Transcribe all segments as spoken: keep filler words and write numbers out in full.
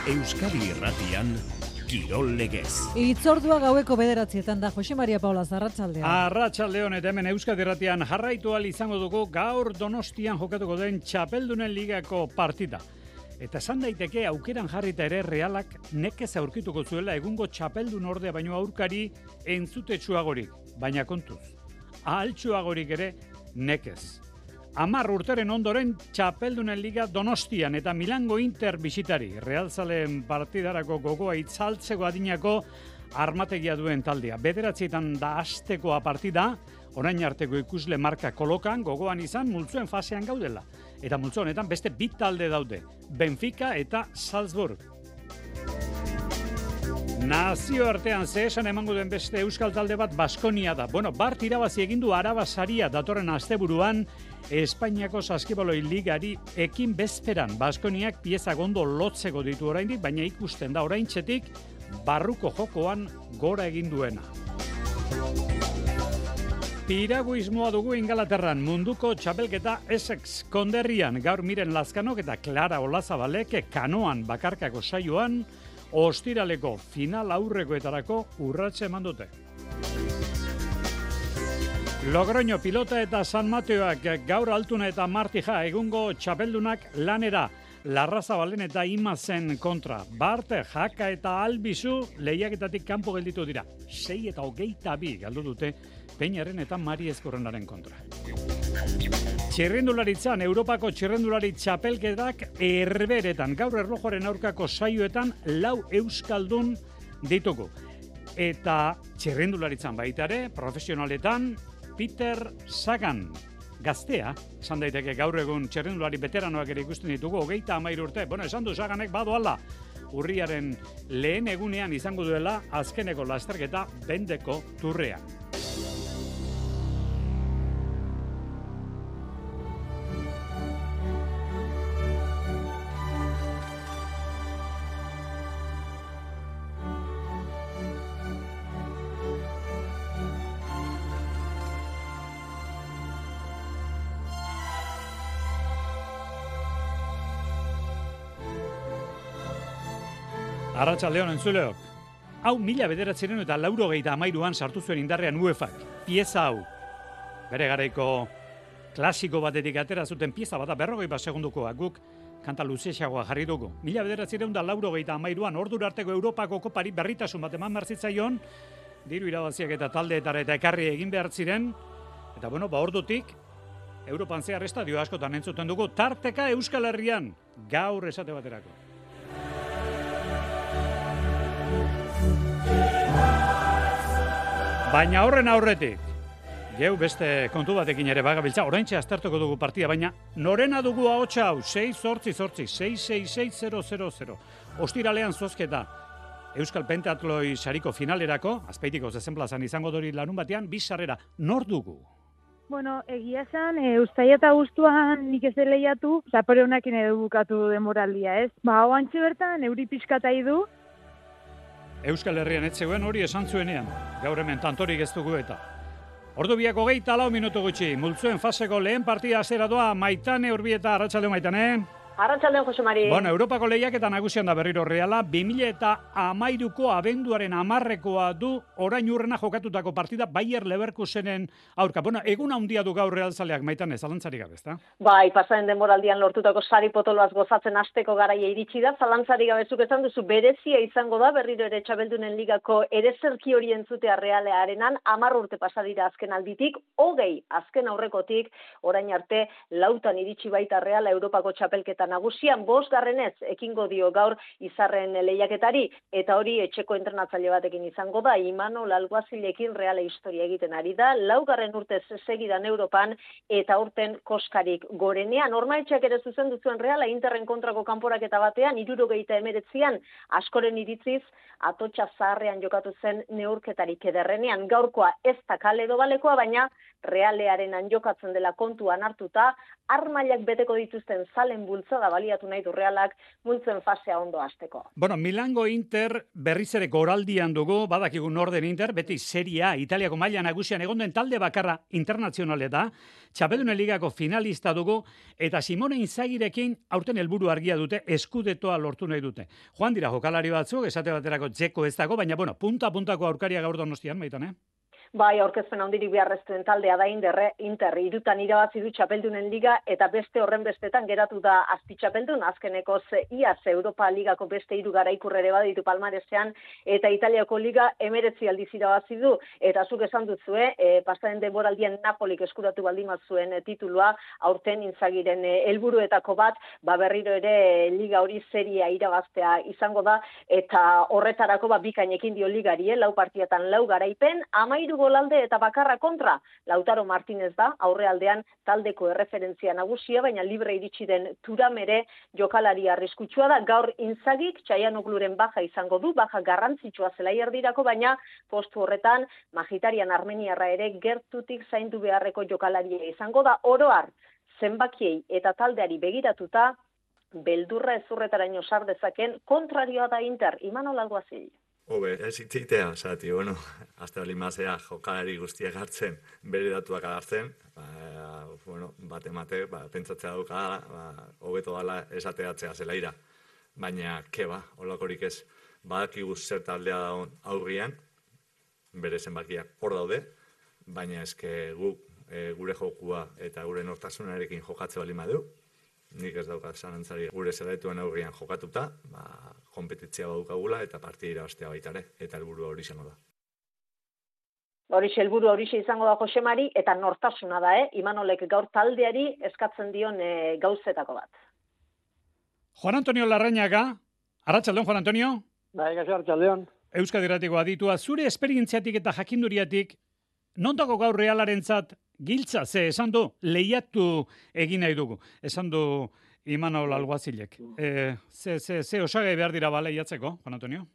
Euskadi Irratian, Kirol Legez. Itzordua gaueko bederatzietan da, Jose Maria Paula, arratsaldeon. Arratsaldeon eta hemen Euskadi Irratian jarraitu ahal izango dugu gaur Donostian jokatuko den Txapeldunen Ligako partida. Eta esan daiteke aukeran jarrita ere Realak nekez aurkituko zuela egungo Txapeldun ordea baino aurkari entzutetsuagorik, baina kontuz. Ahaltsuagorik ere nekez. Amar urteren ondoren Txapeldunen Liga Donostian eta Milango Inter bisitari. Realzaleen partidarako gogoa itzaltzeko adinako armategia duen taldea. Bederatzietan da astekoa partida, orain arteko ikusle marka kolokan gogoan izan multzoen fasean gaudela. Eta multzo honetan beste bi talde daude, Benfica eta Salzburg. Nazio artean ze esan emango den beste euskal talde bat Baskonia da. Bueno, bart irabazi egin du Araba saria datorren asteburuan Espainiako saskibaloi ligari ekin bezperan. Baskoniak pieza gondo lotzeko ditu oraindik, baina ikusten da oraintzetik barruko jokoan gora egin duena. Piraguismoa dugu Ingalaterran, munduko txapelketa Essex konderrian, gaur Miren Lazkanok eta Clara Olazabalek kanoan bakarkako saioan ostiraleko final aurrekoetarako urratse eman dute. Logroño pilota eta San Mateoak gaur Altuna eta Martija egungo txapeldunak lanera. Larrazabalen eta Imazen kontra. Bart, Jaka eta Albizu lehiaketatik kanpo gelditu dira. Sei eta hogeita bi galdu dute Peñaren eta Mari Ezkorrenaren kontra. Txirrindularitzan, Europako txirrindulari txapelketak erberetan. Gaur erlojoaren aurkako saioetan lau euskaldun ditugu. Eta txirrindularitzan baita ere, profesionaletan, Peter Sagan. Gaztea, esan daiteke gaur egun txirrindulari veteranoak ere ikusten ditugu, hogeita hamairu urte. Bueno, esan du Saganek badoala, urriaren lehen egunean izango duela azkeneko lasterketa bendeko turrean. Arratsaldeon entzuleok. Hau mila bederatziehun eta laurogeita hamairuan sartu zuen indarrean UEFAk. Pieza hau. Bere garaiko klasiko batetik atera zuten pieza bata berrogei bat segundukoa guk kanta luzeagoa jarri dugu. Mila bederatziehun eta laurogeita hamairuan ordura arteko Europako kopari berritasun bat eman marzitzaion, diru irabaziak eta taldeetara eta ekarri egin behar ziren, eta bueno, ba ordutik Europan zehar estadio askotan entzuten dugu, tarteka Euskal Herrian, gaur esate baterako. Baina horren aurretik, geu beste kontu batekin ere bagabiltza, oraintxe aztertuko dugu partida, baina norena dugu ahotsa hau, sei zortzi zortzi, sei sei sei zero zero zero. Ostiralean zozketa, Euskal Pentatloi sariko finalerako, Azpeitiko zezenplazan izango dori larun batean, bi sarrera, nor dugu? Bueno, egia esan, e, ustaia eta guztuan nik ez lehiatu, zapore honakin edo bukatu demoraldia, ez? Ba, hau antxe bertan, euri pixkatai du, Euskal Herrian etzegoen hori esan zuenean, gaur hemen tantorik ez dugu eta. Ordu biako geita lau minutu gutxi, multzuen faseko lehen partida zera doa, Maitane Urbieta, arratsaldeon Maitane. Arratsaldeon Jose Mari. Bueno, Europako lehiaketa nagusian da berriro Reala, bi mila eta hamairuko abenduaren hamarrekoa du orain urrena jokatutako partida Bayer Leverkusenen aurka. Bueno, egun handia du gaur Realzaleak Maitane, zalantzarik gabe, ezta? Bai, pasaren denboraldian lortutako sari potoloaz gozatzen hasteko garaia iritsi da, zalantzarik gabe zuk esan duzu berezia izango da berriro ere Txapeldunen Ligako erezerki hori entzutea Realearenan, hamar urte pasa dira azken alditik, hogei azken aurrekotik, orain arte lautan iritsi baita Reala Europako txapelketa nagusian, bosgarrenez ekingo dio gaur izarren lehiaketari, eta hori etxeko entrenatzaile batekin izango da, Imanol Alguazilekin Reala historia egiten ari da, laugarren urtez segidan Europan, eta urten koskarik gorenean. Ormaetxeak ere zuzendu zuen Reala Interren kontrako kanporaketa batean, hirurogeita hemeretzian, askoren iritziz, atotxa zaharrean jokatu zen neurketarik ederrenean. Gaurkoa ez da kale dobalekoa, baina Realearen jokatzen dela kontuan hartuta, armailak beteko dituzten zalen bultza bultzada baliatu nahi du Realak multzen fasea ondo hasteko. Bueno, Milango Inter berriz ere goraldian dugu, badakigu norden Inter, beti Serie A, Italiako maila nagusian egon den talde bakarra internazionale da, Txapeldunen Ligako finalista dugu, eta Simone Inzagirekin aurten helburu argia dute, eskudetoa lortu nahi dute. Joan dira jokalari batzuk, esate baterako Dzeko ez dago, baina bueno, punta-puntako aurkaria gaur Donostian, Maitan, eh? Bai, aurkezpen handirik beharreztuen taldea da Inderre, Inter irutan irabazi du Txapeldunen Liga eta beste horren bestetan geratu da azpi txapeldun, azkenekoz iaz Europa Ligako beste hiru garaikurrere baditu palmaresean eta Italiako Liga emeretzi aldiz irabazi du eta zuk esan duzue, e, pasaren denboraldian Napolik eskuratu baldin zuen e, titulua, aurten Inzagiren helburuetako e, bat, ba berriro ere Liga hori seria irabaztea izango da eta horretarako ba bikainekin dio Ligari, eh, lau partiatan lau garaipen, amairu golalde eta bakarra kontra. Lautaro Martinez da, aurrealdean taldeko erreferentzia nagusia, baina libre iritsi den Turam ere jokalari arriskutsua da. Gaur Inzagik Txaianogluren baja izango du, baja garrantzitsua zelai erdirako, baina postu horretan Magitarian Armeniarra ere gertutik zaindu beharreko jokalaria izango da. Oroar, zenbakiei eta taldeari begiratuta, beldurra ezurretaraino sar dezaken kontrarioa da Inter, Imanol Alguazil. Hobe, ez itzitea, zati, bueno, azte bali mazea jokalari guztiak hartzen, bere datuak agartzen, ba, bueno, bate mate, ba, pentsatzea duka, ba, hobeto dala esateatzea zelaira. Baina, ke ba, holakorik ez, badakigu zer taldea da aurrian, bere zenbakiak hor daude, baina eske gu, e, gure jokua eta gure nortasunarekin jokatze bali madu, nik ez daukat zanantzari gure zelaituen aurrian jokatuta, ba, kompetitzia badukagula eta partida irabaztea baita ere, eta helburua hori izango da. Horixe helburu horixe izango da Josemari eta nortasuna da, eh? Imanolek gaur taldeari eskatzen dion e, gauzetako bat. Juan Antonio Larrañaga, arratsaldeon Juan Antonio. Bai, gaixo arratsaldeon. Euskadi Irratiko aditua, zure esperientziatik eta jakinduriatik, non dago gaur Realarentzat giltza, ze esan du, lehiatu egin nahi dugu. Esan du Imanol Alguazilek. E, ze, ze, ze osagai behar dira ba lehiatzeko, Juan Antonio?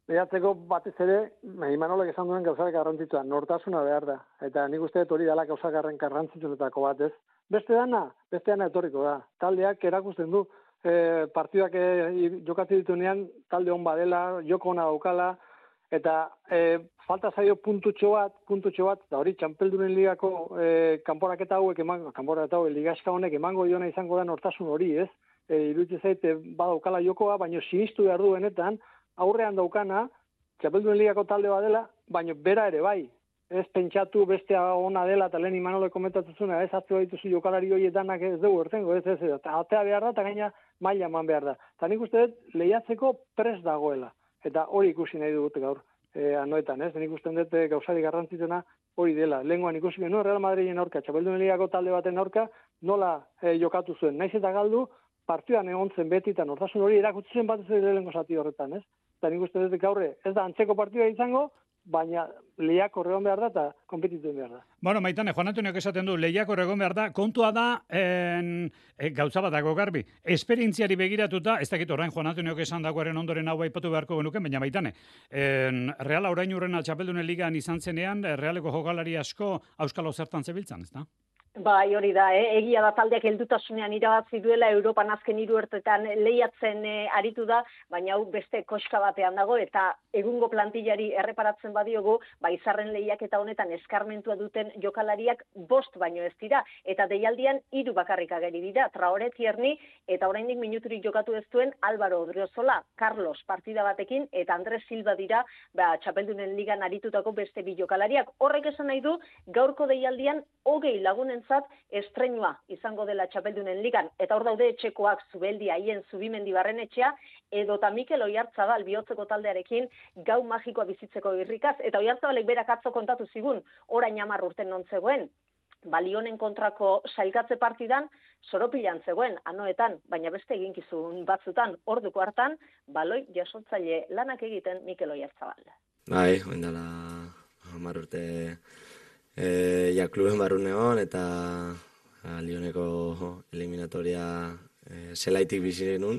Lehiatzeko batez ere, Imanolek esan duen gauzak garrantzitsua, nortasuna behar da. Eta nik uste dut hori dela gauzak garrantzitsuetako bat, ez? Beste dana, beste dana etorriko da. Taldeak erakusten du, e, partidak e, jokatzen ditunean, talde hon badela, joko ona daukala, eta e, falta zaio puntutxo bat, puntutxo bat, da hori Txapeldunen Ligako e, kanporaketa hauek emango, kanporaketa hauek ligaska honek emango diona izango da nortasun hori, ez? E, iruditzen zait badaukala jokoa, baina sinistu behar du benetan, aurrean daukana, Txapeldunen Ligako talde bat dela, baina bera ere bai. Ez pentsatu bestea ona dela, eta lehen Imanolek komentatzen zuen, ez hartu dituzu jokalari horietanak ez dugu ertengo, ez, ez, ez, eta atea behar da, eta gaina maila eman behar da. Eta nik uste dut lehiatzeko prest dagoela. Eta hori ikusi nahi dut gaur e, anoetan, ez? Nik uste dut gauzari garrantzituna hori dela. Lehengoan ikusi genuen Real Madriden aurka, Txapeldunen Ligako talde baten aurka, nola e, jokatu zuen. Naiz eta galdu, partidan egon zen beti, eta nortasun hori erakutsi zen bat ez lehenko zati horretan, ez? Eta nik uste dut gaurre, ez da antzeko partida izango, baina lehiak horregon behar da eta konpetitzen behar da. Bueno, Maitane, Juan Antoniok esaten du, lehiak horregon behar da, kontua da, en, e, gauza bat dago garbi, esperientziari begiratuta, ez dakit orain Juan Antoniok esan dagoaren ondoren hau aipatu beharko genuken, baina Maitane, en, Reala orain urrena Txapeldunen Ligan izan zenean, Realeko jokalari asko auskalo zertan zebiltzan, ez da? Bai, hori da, eh? Egia da taldeak heldutasunean irabazi duela, Europan azken hiru urteetan lehiatzen eh, aritu da, baina hau beste koska batean dago, eta egungo plantillari erreparatzen badiogu, ba izarren lehiak eta honetan eskarmentua duten jokalariak bost baino ez dira, eta deialdian hiru bakarrik ageri dira, Traore, Tierney, eta oraindik minuturik jokatu ez duen Álvaro Odriozola, Carlos partida batekin, eta Andres Silva dira, ba, Txapeldunen Ligan aritutako beste bi jokalariak. Horrek esan nahi du, gaurko deialdian hogei lagunen estreinua izango dela Txapeldunen Ligan, eta hor daude etxekoak Zubeldi, Aien, Zubimendi Barrenetxea, edota Mikel Oiartzabal bihotzeko taldearekin gau magikoa bizitzeko irrikaz, eta Oiartzabalek berak atzo kontatu zigun, orain hamar urten non zegoen, Balionen kontrako sailkatze partidan, Soropilan zegoen, anoetan, baina beste eginkizun batzutan, orduko hartan, baloi jasotzaile lanak egiten Mikel Oiartzabal. Bai, oindala hamar urte E, ja kluben barrun egon, eta a, Lioneko eliminatoria e, zelaitik bizi genuen,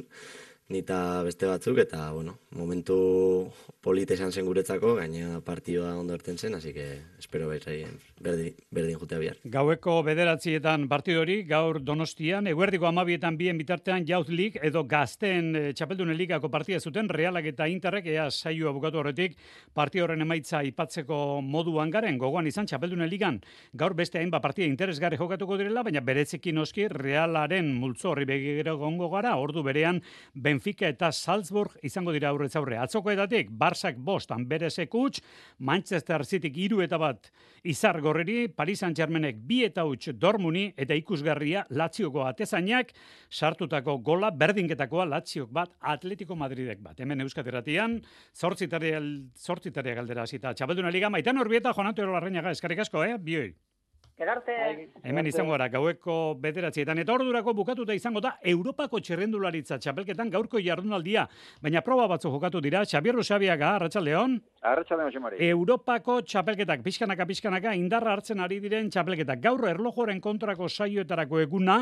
nita beste batzuk, eta, bueno, momentu polite esan zen guretzako, gaina partioa ondo erten zen, así que espero berdin, berdin, berdin jutea bihar. Gaueko bederatzietan partidori, gaur Donostian, eguerdiko amabietan bien bitartean Youth League edo gazten e, txapeldunen ligako partida zuten, Realak eta Interrek ea saioa bukatu horretik partida horren emaitza ipatzeko moduan garen, gogoan izan txapeldunen ligan, gaur beste hainbat partida interesgarri jokatuko direla, baina beretzeki noski Realaren multzo horri begiro gongo gara, ordu berean Benfica eta Salzburg izango dira aurrez aurre. Atzokoetatik, Barsak bost, Amberesek huts, Manchester Cityk hiru eta bat Izar Gorriri, Paris Saint-Germainek bi eta huts Dortmundi eta ikusgarria Lazioko atezainak sartutako gola berdinketakoa Laziok bat Atletico Madridek bat. Hemen Euskadi Irratian, zortzitaria galdera hasita. Txapelduna liga Maitan Orbieta, Juan Antonio Larrañaga, eskerrik asko, eh? Bioi. Gerarte. Hemen izango gara, gaueko bederatzietan. Eta ordurako bukatuta izango da Europako txerrendularitza txapelketan gaurko jardunaldia. Baina proba batzu jokatu dira. Xabier Rusabiaga, Arratsaldeon. Arratsaldeon, Jose Mari. Europako txapelketak, pixkanaka pixkanaka indarra hartzen ari diren txapelketak. Gaur erlojoren kontrako saioetarako eguna,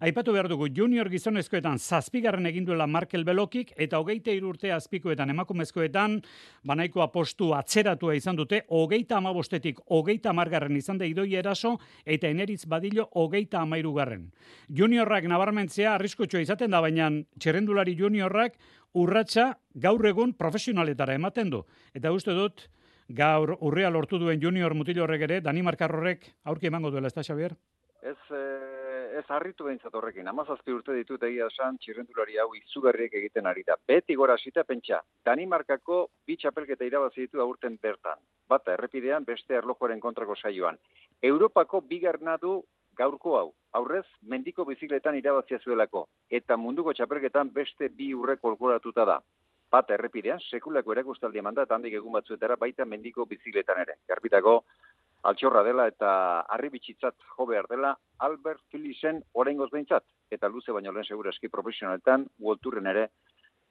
aipatu behar dugu junior gizonezkoetan zazpigarren egin duela Markel Belokik, eta hogeita hiru urte azpikoetan emakumezkoetan, banaikoa postu atzeratua izan dute, hogeita hamabostetik hogeita hamargarren izan da Idoia Eraso, eta Eneritz Badillo hogeita hamairugarren. Juniorrak nabarmentzea arriskutsua izaten da, baina txerrendulari juniorrak urratsa gaur egun profesionaletara ematen du. Eta uste dut, gaur urrea lortu duen junior mutil horrek ere, Danimarkar horrek aurki emango duela, ez da, Xabier? Ez, ez harritu behintzat horrekin. Hamazazpi urte ditut egia esan txirrendulari hau izugarriek egiten ari da. Beti gora hasita pentsa, Danimarkako bi txapelketa irabazi ditu aurten bertan. Bata errepidean, beste erlojuaren kontrako saioan. Europako bigarna du gaurko hau. Aurrez, mendiko bizikletan irabazia zuelako. Eta munduko txapelketan beste bi urre kolkoratuta da. Bata errepidean, sekulako erakustaldi eman da, eta handik egun batzuetara baita mendiko bizikletan ere. Garbitako, altxorra dela eta harribitxitzat jo behar dela Albert Philipsen oraingoz behintzat. Eta luze baino lehen segura eski profesionaletan, World Touren ere,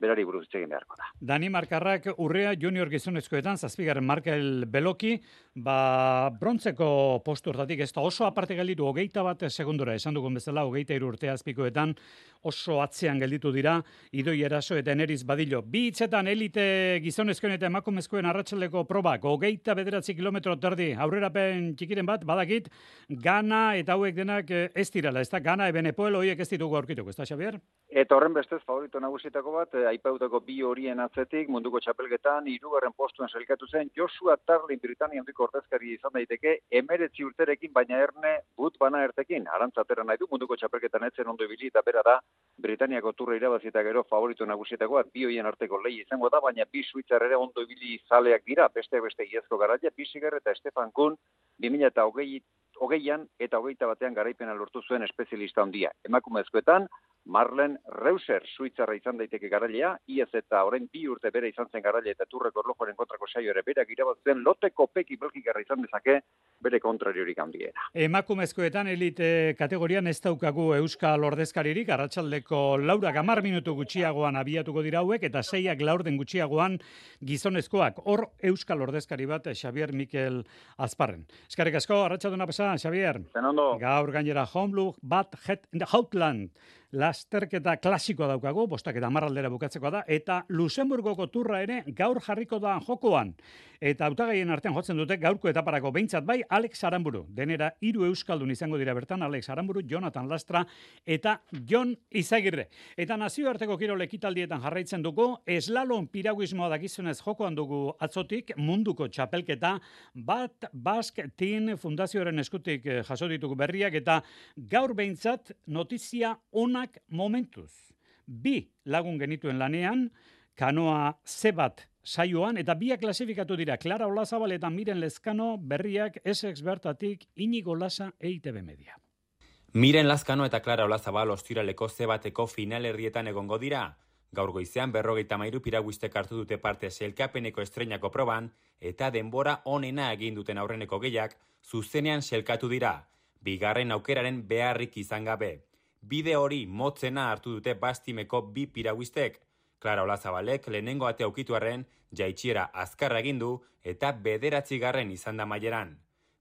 berari buruz egin beharko da. Danimarkarrak urrea junior gizonezkoetan, zazpigarren Markel Beloki, ba, brontzeko postu hortatik ez da oso aparte gelditu, hogeita bat segundora, esan dugun bezala, hogeita hiru urte azpikoetan, oso atzean gelditu dira, Idoi Eraso eta Eneritz Badillo. Bi hitzetan elite gizonezkoen eta emakumezkoen arratsaldeko probak, hogeita bederatzi kilometro terdi, aurrerapen txikiren bat, badakit, Gana eta hauek denak ez direla, ez da, Gana eben Epoel horiek ez ditugu aurkituko, ez da, Xabier? Eta horren bestez favorito nagusitako bat, aipautako bi horien atzetik, munduko txapelketan, hirugarren postuan sailkatu zen, Joshua Tarlin Britania handiko ordezkari izan daiteke, emeretzi urterekin, baina erne but bana ertekin. Arantzatera nahi du, munduko txapelketan etzen ondo ibili eta bera da, Britaniako turra irabazita gero favorito nagusietakoa, bi horien arteko lehi izango da, baina bi suitzar ere ondo ibili zaleak dira, beste beste iazko garaia, Bisiger eta Stefan Kuhn, bi mila eta hogei, hogeian eta hogeita batean garaipena lortu zuen espezialista handia. Emakumezkoetan, Marlen Reuser, suitzarra izan daiteke garailea, iaz eta orain bi urte bere izan zen garailea eta turreko erlojuaren kontrako saio ere berak irabazten loteko peki belgikarra izan dezake bere kontrariorik handiena. Emakumezkoetan elite kategorian ez daukagu Euskal ordezkaririk, arratsaldeko laurak hamar minutu gutxiagoan abiatuko dira hauek eta seiak laurden gutxiagoan gizonezkoak. Hor Euskal ordezkari bat, Xabier Mikel Azparren. Eskerrik asko, arratsalduna pasa, Xabier. Zenondo. Gaur gainera Homeblue bat Het Houtland. Lasterketa klasikoa daukagu, bostak eta marraldera bukatzeko da, eta Luxemburgoko turra ere gaur jarriko da jokoan. Eta hautagaien artean jotzen dute gaurko etaparako behintzat bai Alex Aramburu. Denera hiru euskaldun izango dira bertan, Alex Aramburu, Jonathan Lastra eta Jon Izagirre. Eta nazioarteko kirol ekitaldietan jarraitzen dugu, eslalon piraguismoa dakizunez jokoan dugu atzotik, munduko txapelketa, bat Basque Team Fundazioaren eskutik jaso ditugu berriak, eta gaur behintzat notizia ona momentuz. Bi lagun genituen lanean, kanoa ze bat saioan, eta biak klasifikatu dira, Clara Olazabal eta Miren Lezkano berriak Essex bertatik Inigo Lasa E I T B Media. Miren Lezkano eta Clara Olazabal ostiraleko ze bateko finalerrietan egongo dira. Gaur goizean berrogeita hamairu piraguistek hartu dute parte sailkapeneko estreinako proban, eta denbora onena egin duten aurreneko gehiak zuzenean sailkatu dira, bigarren aukeraren beharrik izan gabe. Bide hori motzena hartu dute bastimeko bi piraguistek. Clara Olazabalek lehenengo ate aukituarren jaitxiera azkarra egin du eta bederatzi garren izan da maileran.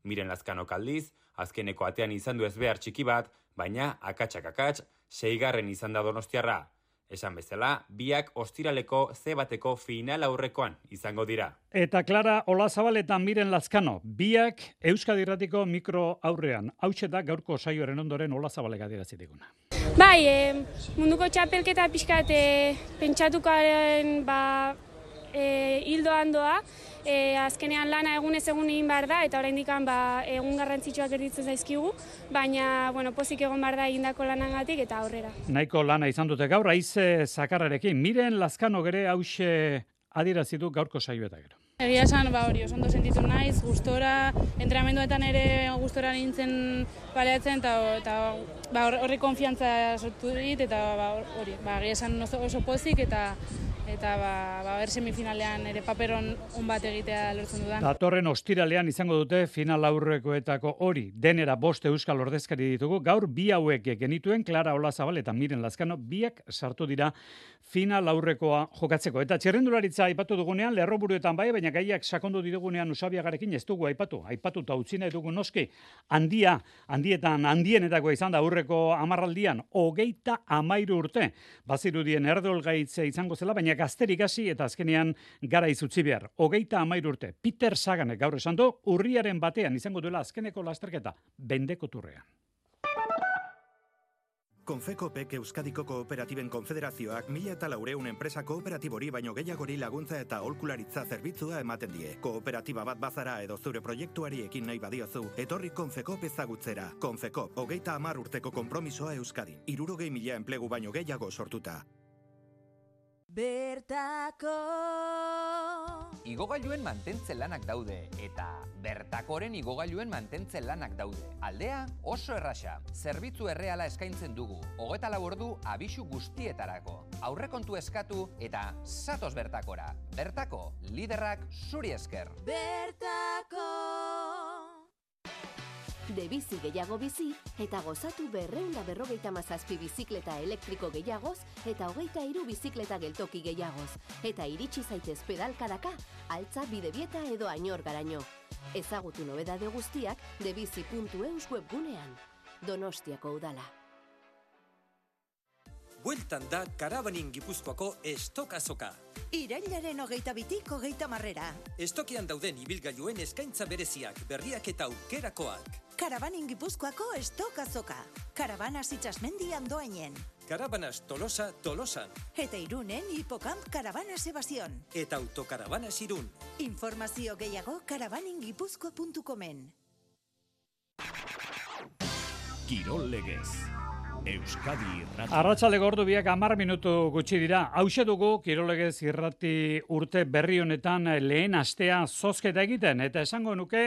Miren Lazkanok aldiz, azkeneko atean izan du ezbehar txiki bat, baina akatsak akats, seigarren izan da donostiarra. Esan bezala, biak ostiraleko ze bateko final aurrekoan izango dira. Eta Clara Olazabal eta Miren Lazkano, biak Euskadi Irratiko mikro aurrean. Hauxe da gaurko saioaren ondoren Olazabalek adierazi diguna. Bai, e, munduko txapelketa pixkat e, pentsatukaren ba, e, hildoan doa, e, azkenean lana egunez egun egin behar da, eta oraindik ba, egun garrantzitsuak erditzen zaizkigu, baina bueno, pozik egon behar da egindako lanagatik eta aurrera. Nahiko lana izan dute gaur, haize zakarrarekin. Miren Lazkano gere hause adierazi du gaurko saio eta gero. Egia esan, ba hori, oso ondo sentitu naiz, gustora, entrenamenduetan ere gustora nintzen baleatzen, eta, eta ba, horri konfiantza sortu dit, eta ba, hori, ba, egia esan oso, oso pozik, eta eta ba, ba, ber semifinalean ere paperon on bat egitea lortzen dudan. Datorren ostiralean izango dute final aurrekoetako hori. Denera bost euskal ordezkari ditugu. Gaur bi hauek genituen, Clara Olazabal eta Miren Lazkano, biak sartu dira final aurrekoa jokatzeko. Eta txerrendularitza aipatu dugunean, lerroburuetan bai, baina gaiak sakondu ditugunean Usabiagarekin ez dugu aipatu. Aipatuta utzi nahi dugu noski, handia, handietan, handienetako izan da aurreko hamarraldian, hogeita hamairu urte. Bazirudien erdolgaitze izango zela, baina gazterik hasi eta azkenean garaiz utzi behar. Hogeita hamairu urte. Peter Saganek gaur esan du, urriaren batean izango duela azkeneko lasterketa, bendeko turrean. Konfekopek Euskadiko Kooperatiben Konfederazioak mila eta laureun enpresa kooperatibori baino gehiagori laguntza eta aholkularitza zerbitzua ematen die. Kooperatiba bat bazara edo zure proiektuari ekin nahi badiozu, etorri Konfekop ezagutzera. Konfekop, hogeita hamar urteko konpromisoa Euskadin. Hirurogei mila enplegu baino gehiago sortuta. Bertako Igogailuen mantentze lanak daude, eta Bertakoren igogailuen mantentze lanak daude. Aldea oso erraxa, zerbitzu erreala eskaintzen dugu, hogeita lau ordu abisu guztietarako. Aurrekontu eskatu eta zatoz Bertakora. Bertako, liderrak zuri esker. Bertako De bizi gehiago bizi eta gozatu berreunda berrogeita mazazpi bizikleta elektriko gehiagoz eta hogeita hiru bizikleta geltoki gehiagoz. Eta iritsi zaitez pedalkadaka, altza bidebieta edo ainor garaino. Ezagutu nobedade guztiak debizi puntu eus webgunean. Donostiako udala. Bueltan da Karabanin Gipuzkoako estokazoka. Irailaren hogeita bitik hogeita marrera. Estokian dauden ibilgailuen eskaintza bereziak, berriak eta aukerakoak. Karabanin Gipuzkoako estokazoka. Karabanas itxasmendian doainen. Karabanas Tolosa, Tolosan. Eta Irunen Hipocamp Karabanas Ebasion. Eta Autokarabanas Irun. Informazio gehiago karabaningipuzkoa puntu comen. Kirol legez. Euskadi Irrati. Arratsaldeko ordu biak hamar minutu gutxi dira. Hauxe dugu Kirolegez Irrati urte berri honetan lehen astea zozketa egiten. Eta esango nuke,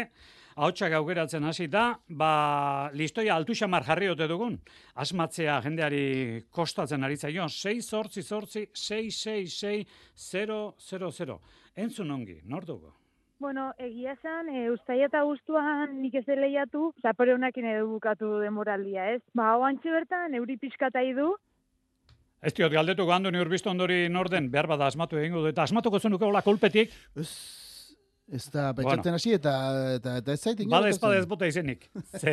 ahotsak aukeratzen hasita, ba, listoia altu xamar jarri ote dugun. Asmatzea jendeari kostatzen ari zaio. sei zortzi zortzi sei sei sei zero zero zero. Entzun ongi, nor dugu? Bueno, egia esan, e, uztaia eta guztuan nik ez lehiatu, zapore honakin edo bukatu demoraldia, ez? Ba, hau antxe bertan, euri pixkatai du. Ez diot, galdetuko handu ni urbistu ondori norden, behar bada asmatu egingo du, eta asmatuko zenuke hola kolpetik. Ez da, pentsatzen hasi eta, eta, eta ez zaitin. Bada ez bada ez bota izenik. Ze,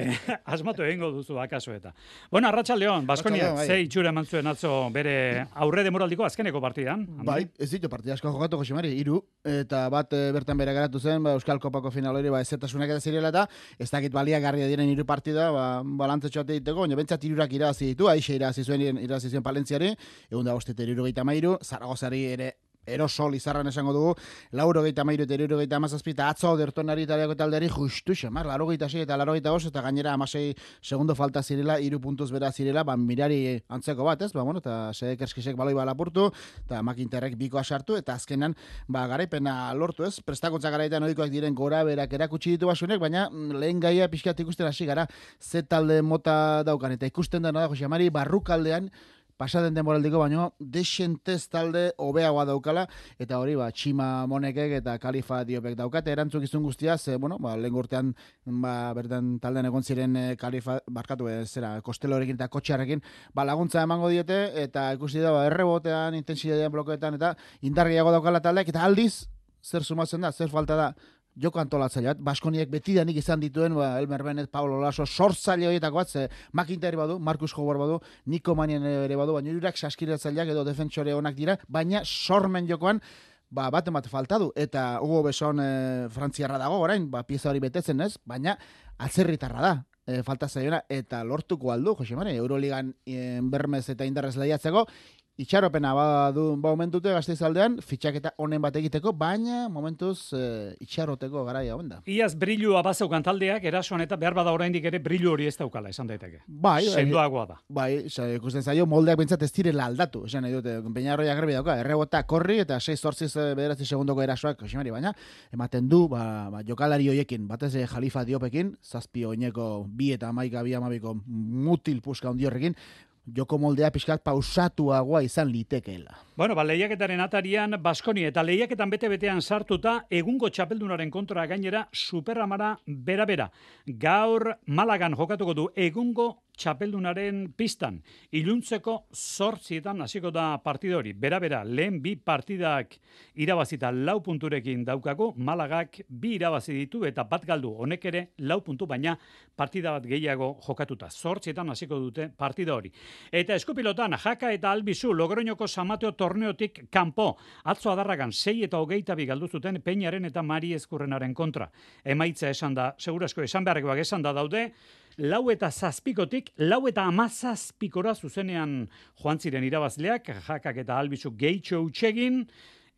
asmatu egingo duzu akaso eta. Bueno, Arratsaldeon, Baskoniak ze itxura eman zuen atzo bere aurre demoraldiko azkeneko partidan. Bai, ez ditu partida asko jokatu Josemari, hiru eta bat e, bertan bere garatu zen, ba, Euskal Kopako final hori ba ezertasunak eta zirela eta ez dakit baliagarria diren hiru partida, ba balantzetxo ate diteko, baina bentsat hirurak irabazi ditu, Aixe irabazi zuen irabazi zuen Palentziari, ehun eta bost eta hirurogeita hamairu, Zaragozari ere erosol izarran esango dugu, laurogeita hamairu eta hirurogeita hamazazpi eta atzo dertonari italiako taldeari justu xamar, laurogeita sei eta laurogeita bost eta gainera hamasei segundo falta zirela, hiru puntuz bera zirela, ba mirari antzeko bat, ez? Ba bueno, eta Sedek Erskisek baloi ba lapurtu eta Makinterrek bikoa sartu eta azkenan ba garaipena lortu, ez? Prestakuntza garaitan ohikoak diren gora berak erakutsi ditu basunek, baina lehen gaia pixkat ikusten hasi gara ze talde mota daukan eta ikusten dena da Josemari barrukaldean pasaden demoraldiko baino desentez talde hobeagoa daukala eta hori ba Txima Monekek eta Kalifa Diopek daukate erantzukizun guztia ze bueno ba lehen urtean ba bertan taldean egon ziren e, Kalifa barkatu ez zera Kostelorekin eta Kotxarrekin ba laguntza emango diete eta ikusi da ba errebotean intentsitatean blokeetan eta indar gehiago daukala taldeak eta aldiz zer sumatzen da zer falta da joko antolatzaileat, Baskoniek betidanik izan dituen, ba, Elmer Bennett, Paulo Laso, sortzaile horietako bat, ze McIntyre badu, Marcus Howard badu, Nico Mannion ere badu, baina hirurak saskiratzaileak edo defentsore onak dira, baina sormen jokoan, ba, bat emate falta du, eta Hugo Beson e, frantziarra dago orain, ba, pieza hori betetzen ez, baina atzerritarra da, e, falta zaiona, eta lortuko aldu, Jose Mari, Euroligan e, bermez eta indarrez lehiatzeko, itxaropena badu ba momentute Gasteizaldean fitxaketa honen bat egiteko, baina momentuz e, itxaroteko garaia hon da. Iaz brilua bazeukan taldeak erasoan eta behar bada oraindik ere brilu hori ez daukala, esan daiteke. Bai, sendoagoa da. Bai, ikusten zaio moldeak pentsat ez direla aldatu, esan nahi dute, Peñarroia garbi dauka, errebota korri eta sei zortzi bederatzi segundoko erasoak, Josemari, baina ematen du, ba, ba, jokalari hoiekin, batez Jalifa Diopekin, zazpi oineko bi eta hamaika bi hamabiko mutil puska handi horrekin, joko moldea pixkat pausatuagoa izan litekeela. Bueno, ba, lehiaketaren atarian Baskoni eta lehiaketan bete-betean sartuta egungo txapeldunaren kontra gainera Superamara bera-bera. Gaur Malagan jokatuko du egungo txapeldunaren pistan. Iluntzeko zortzietan hasiko da partida hori. Bera-bera, lehen bi partidak irabazita lau punturekin daukagu, Malagak bi irabazi ditu eta bat galdu, honek ere lau puntu, baina partida bat gehiago jokatuta. Zortzietan hasiko dute partida hori. Eta eskupilotan, Jaka eta Albizu Logroñoko Samateo torneotik kanpo. Atzo adarragan sei eta hogeita bi galdu zuten Peñaren eta Mari Ezkurrenaren kontra. Emaitza esan da, segurasko esan beharrekoak esan da daude, lau eta zazpikotik, lau eta amazazpikora zuzenean joan ziren irabazleak, Jakak eta Albizu gehitxo utxegin,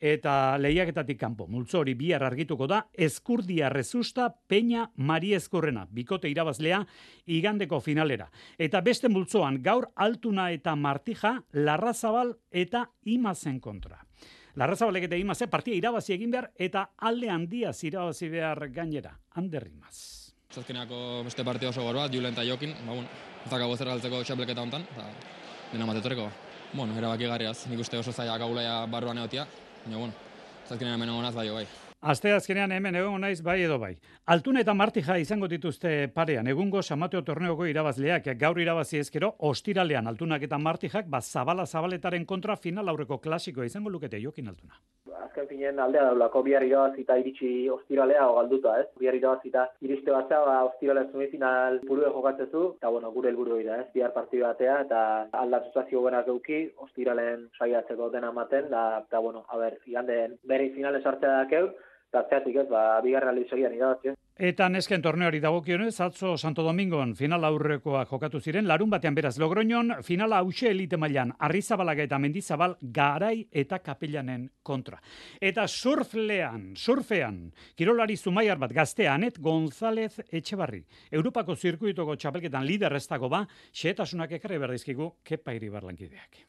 eta lehiaketatik kanpo. Multzo hori bihar argituko da, Ezkurdia Rezusta, Peña Mari Ezkurrena, bikote irabazlea, igandeko finalera. Eta beste multzoan, gaur Altuna eta Martija, Larrazabal eta Imazen kontra. Larrazabalek eta Imazen partia irabazi egin behar, eta alde handiaz irabazi behar gainera. Ander Imaz. Zazkeneako beste partida oso gaur bat, Julen eta Jokin, ba, bueno, ez dakago zer galtzeko txapelketa honetan, eta dena matetoreko. Bueno, erabaki garriaz, nik uste oso zaiak agulaia barruan egotia, baina, bueno, zazkenean hemen egonaz bai, bai. Aste azkenean hemen egon naiz bai edo bai. Altuna eta Martija izango dituzte parean, egungo Samateo torneoko irabazleak, gaur irabazi ezkero, ostiralean Altunak eta Martijak, ba, zabala zabaletaren kontra final aurreko klasikoa izango lukete Jokin Altuna. Azken finen aldea daulako bihar irabazita iritsi ostiralea o galduta, ez? Bihar irabazita iriste batza, ba, ostiralea semifinal burue jokatzezu, eta bueno, gure helburu da, ez? Bihar partidu batea, eta aldatuzazio buenak euki, ostiralen saiatzeko dena ematen, da, eta bueno, a ber, iganden bere finale sartzea dakeu, eta zeatik ez, ba, bigarren aldi segian irabazi. Eta nesken torneori dagokionez, atzo Santo Domingon final aurrekoa jokatu ziren, larun batean beraz Logroñon, finala hause elite mailan, Arrizabalaga eta Mendizabal, Garai eta Kapellanen kontra. Eta surflean, surfean, kirolari zumaiar bat gaztea Anet González Etxebarri. Europako zirkuitoko txapelketan lider ez dago ba, xehetasunak ekarri berdizkigu Kepa Iribarlankideak.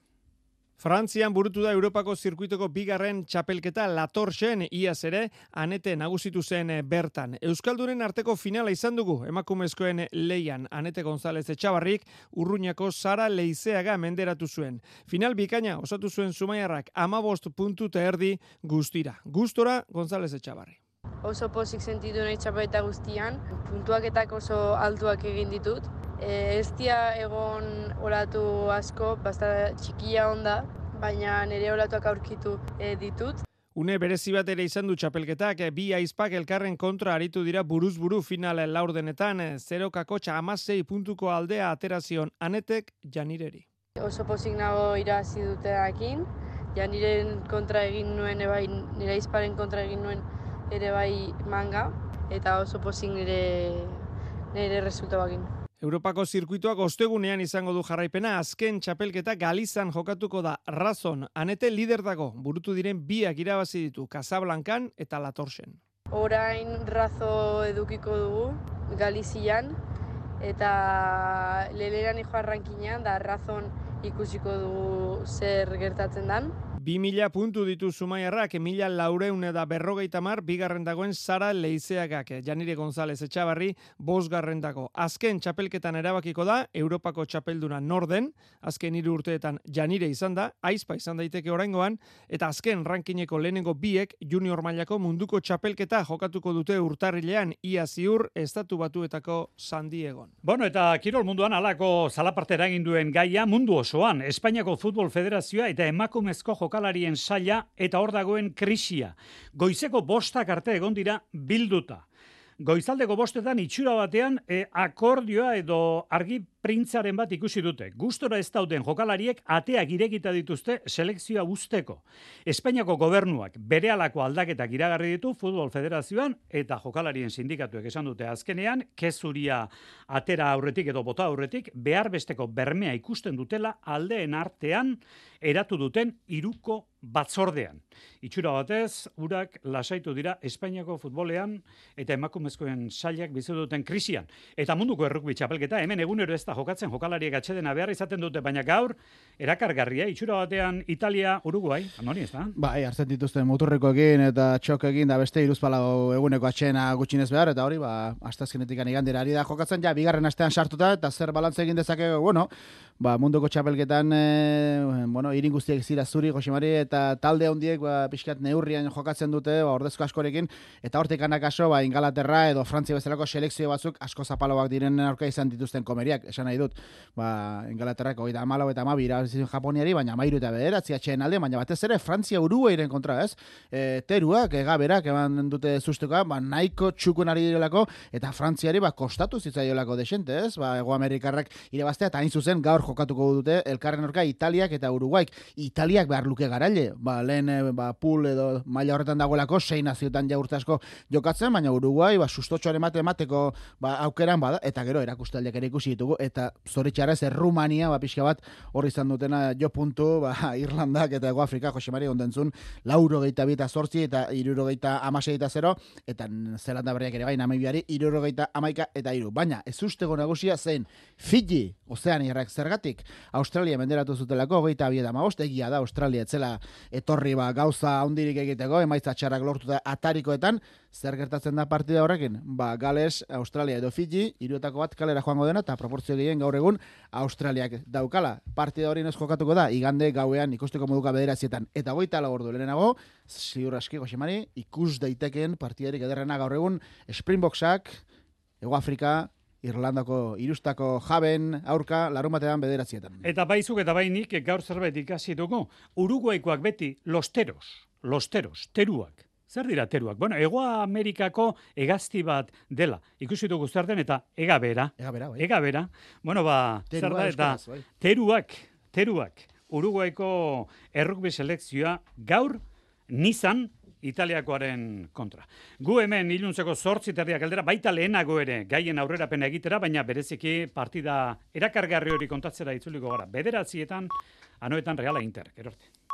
Frantzian burutu da Europako zirkuitoko bigarren txapelketa Latorxen, iaz ere, Anete nagusitu zen bertan. Euskaldunen arteko finala izan dugu, emakumezkoen leian, Anete González Etxabarrik, Urruñako Sara Leizeaga menderatu zuen. Final bikaina osatu zuen Zumaiarrak amabost puntu eta erdi guztira. Gustora González Etxabarri. Oso pozik sentitu nahi txapeleta guztian, puntuaketak oso altuak egin ditut. E, ez dia egon olatu asko, basta txikia onda, baina nire olatuak aurkitu e, ditut. Une berezi bat ere izan du txapelketak, bi aizpak elkarren kontra aritu dira buruz-buru final laurdenetan, zero kakotxa amasei puntuko aldea aterazion Anetek Janireri. Oso pozik nago irazi duteakin, Janiren kontra egin nuen, ebai, nire aizparen kontra egin nuen ere bai manga, eta oso pozik nire, nire resultabakin. Europako zirkuituak ostegunean izango du jarraipena, azken txapelketa Galizan jokatuko da. Razon, Anete lider dago, burutu diren biak irabazi ditu, Casablancan eta Latorxen. Orain Razo edukiko dugu, Galizian, eta leleran ijo arrankinean, da Razon ikusiko dugu zer gertatzen dan. Bi mila puntu ditu Zumaiarrak, mila laureun da berrogeita mar, bigarren dagoen Sara Leizeagak, Janire González Etxabarri, bosgarren dago. Azken txapelketan erabakiko da, Europako txapelduna norden, azken hiru urteetan Janire izan da, aizpa izan daiteke oraingoan, eta azken rankineko lehenengo biek junior mailako munduko txapelketa jokatuko dute urtarrilean, ia ziur estatu batuetako San Diegon. Bueno, eta kirol munduan alako zalapartera egin duen gaia mundu osoan, Espainiako Futbol Federazioa eta emakumezko jokatu jokalarien saila eta hor dagoen krisia. Goizeko bostak arte egon dira bilduta. Goizaldeko bostetan itxura batean e, akordioa edo argi printzaren bat ikusi dute. Gustora ez dauden jokalariek ateak irekita dituzte selekzioa usteko. Espainiako gobernuak berehalako aldaketak iragarri ditu Futbol Federazioan eta jokalarien sindikatuek esan dute azkenean kezuria atera aurretik edo bota aurretik behar besteko bermea ikusten dutela aldeen artean eratu duten hiruko batzordean. Itxura batez, urak lasaitu dira Espainiako futbolean eta emakumezkoen sailak bizi duten krisian. Eta munduko errukbi txapelketa hemen egunero ez da jokatzen jokalariek atsedena behar izaten dute, baina gaur erakargarria, itxura batean Italia, Uruguay, nori ez da? Bai, hartzen dituzten muturrekoekin eta txokekin da beste hiruzpalau eguneko atxena gutxinez behar, eta hori, ba, astazkenetik igandera ari da jokatzen, ja, bigarren astean sartuta, eta zer balantze egin dezake, bueno, ba, munduko txapelketan, e, bueno, irin guztiek zira zuri, Josemari, eta talde hondiek, ba, pixkat neurrian jokatzen dute, ba, ordezko askorekin, eta hortik anakaso, ba, Ingalaterra edo Frantzia bezalako selekzio batzuk asko zapaloak diren aurka izan dituzten komeriak, esan nahi dut, ba, Ingalaterrak hogeita hamalau eta hamabi irabazi Japoniari, baina hamairu eta bederatzi atxeen alde, baina batez ere Frantzia Uruguairen kontra, ez? E, teruak, egaberak, eman dute zuztuka, ba, nahiko txukun ari direlako, eta Frantziari, ba, kostatu zitzaiolako desente, ez? Ba, Ego Amerikarrak irabaztea, eta hain zuzen gaur jokatuko dute elkarren orka Italiak eta Uruguaik. Italiak behar luke garaile, ba, lehen, ba, pool edo maila horretan dagoelako, sei naziotan ja urte asko jokatzen, baina Uruguai, ba, sustotxoaren mate emateko, ba, aukeran bada, eta gero erakustaldiak ere ikusi ditugu, eta zoritxarrez, Rumania, ba, pixka bat, hori izan dutena jo puntu, ba, Irlandak eta Ego Afrika, Josemari ondentzun, lauro geita bita zortzi eta iruro geita amasei eta zero, eta Zelanda berriak ere bai, Namibiari, iruro geita amaika eta iru. Baina, ez ustego nagusia zen, Fiji, Ozeaniarrak zergatik, Australia menderatu zutelako, geita bi eta amabost, egia da, Australia etzela etorri ba, gauza handirik egiteko, emaitza txarrak lortuta atarikoetan, zer gertatzen da partida horrekin? Ba, Gales, Australia edo Fiji, hiruetako bat kalera joango dena, eta proportzio gehien gaur egun Australiak daukala. Partida hori ez jokatuko da, igande gauean ikusteko moduka bederatzietan. Eta goita lagordu lehenago, ziur aski, Josemari, ikus daiteken partidarik ederrena gaur egun Springboksak, Ego Afrika, Irlandako irustako jaben aurka larun batean bederatzietan. Eta baizuk eta bainik gaur zerbait ikasi dugu. Uruguaikoak beti losteros, losteros, teruak. Zer dira teruak? Bueno, Ego Amerikako hegazti bat dela. Ikusi dugu zer den eta egabera. Egabera, bai. Egabera. Bueno, ba, zer da eta bai. teruak, teruak. Uruguaiko errukbi selekzioa gaur nizan Italiakoaren kontra. Gu hemen iluntzeko zortzi terdiak aldera, baita lehenago ere gaien aurrerapena egitera, baina bereziki partida erakargarri hori kontatzera itzuliko gara. Bederatzietan, anoetan Reala Inter, erorte.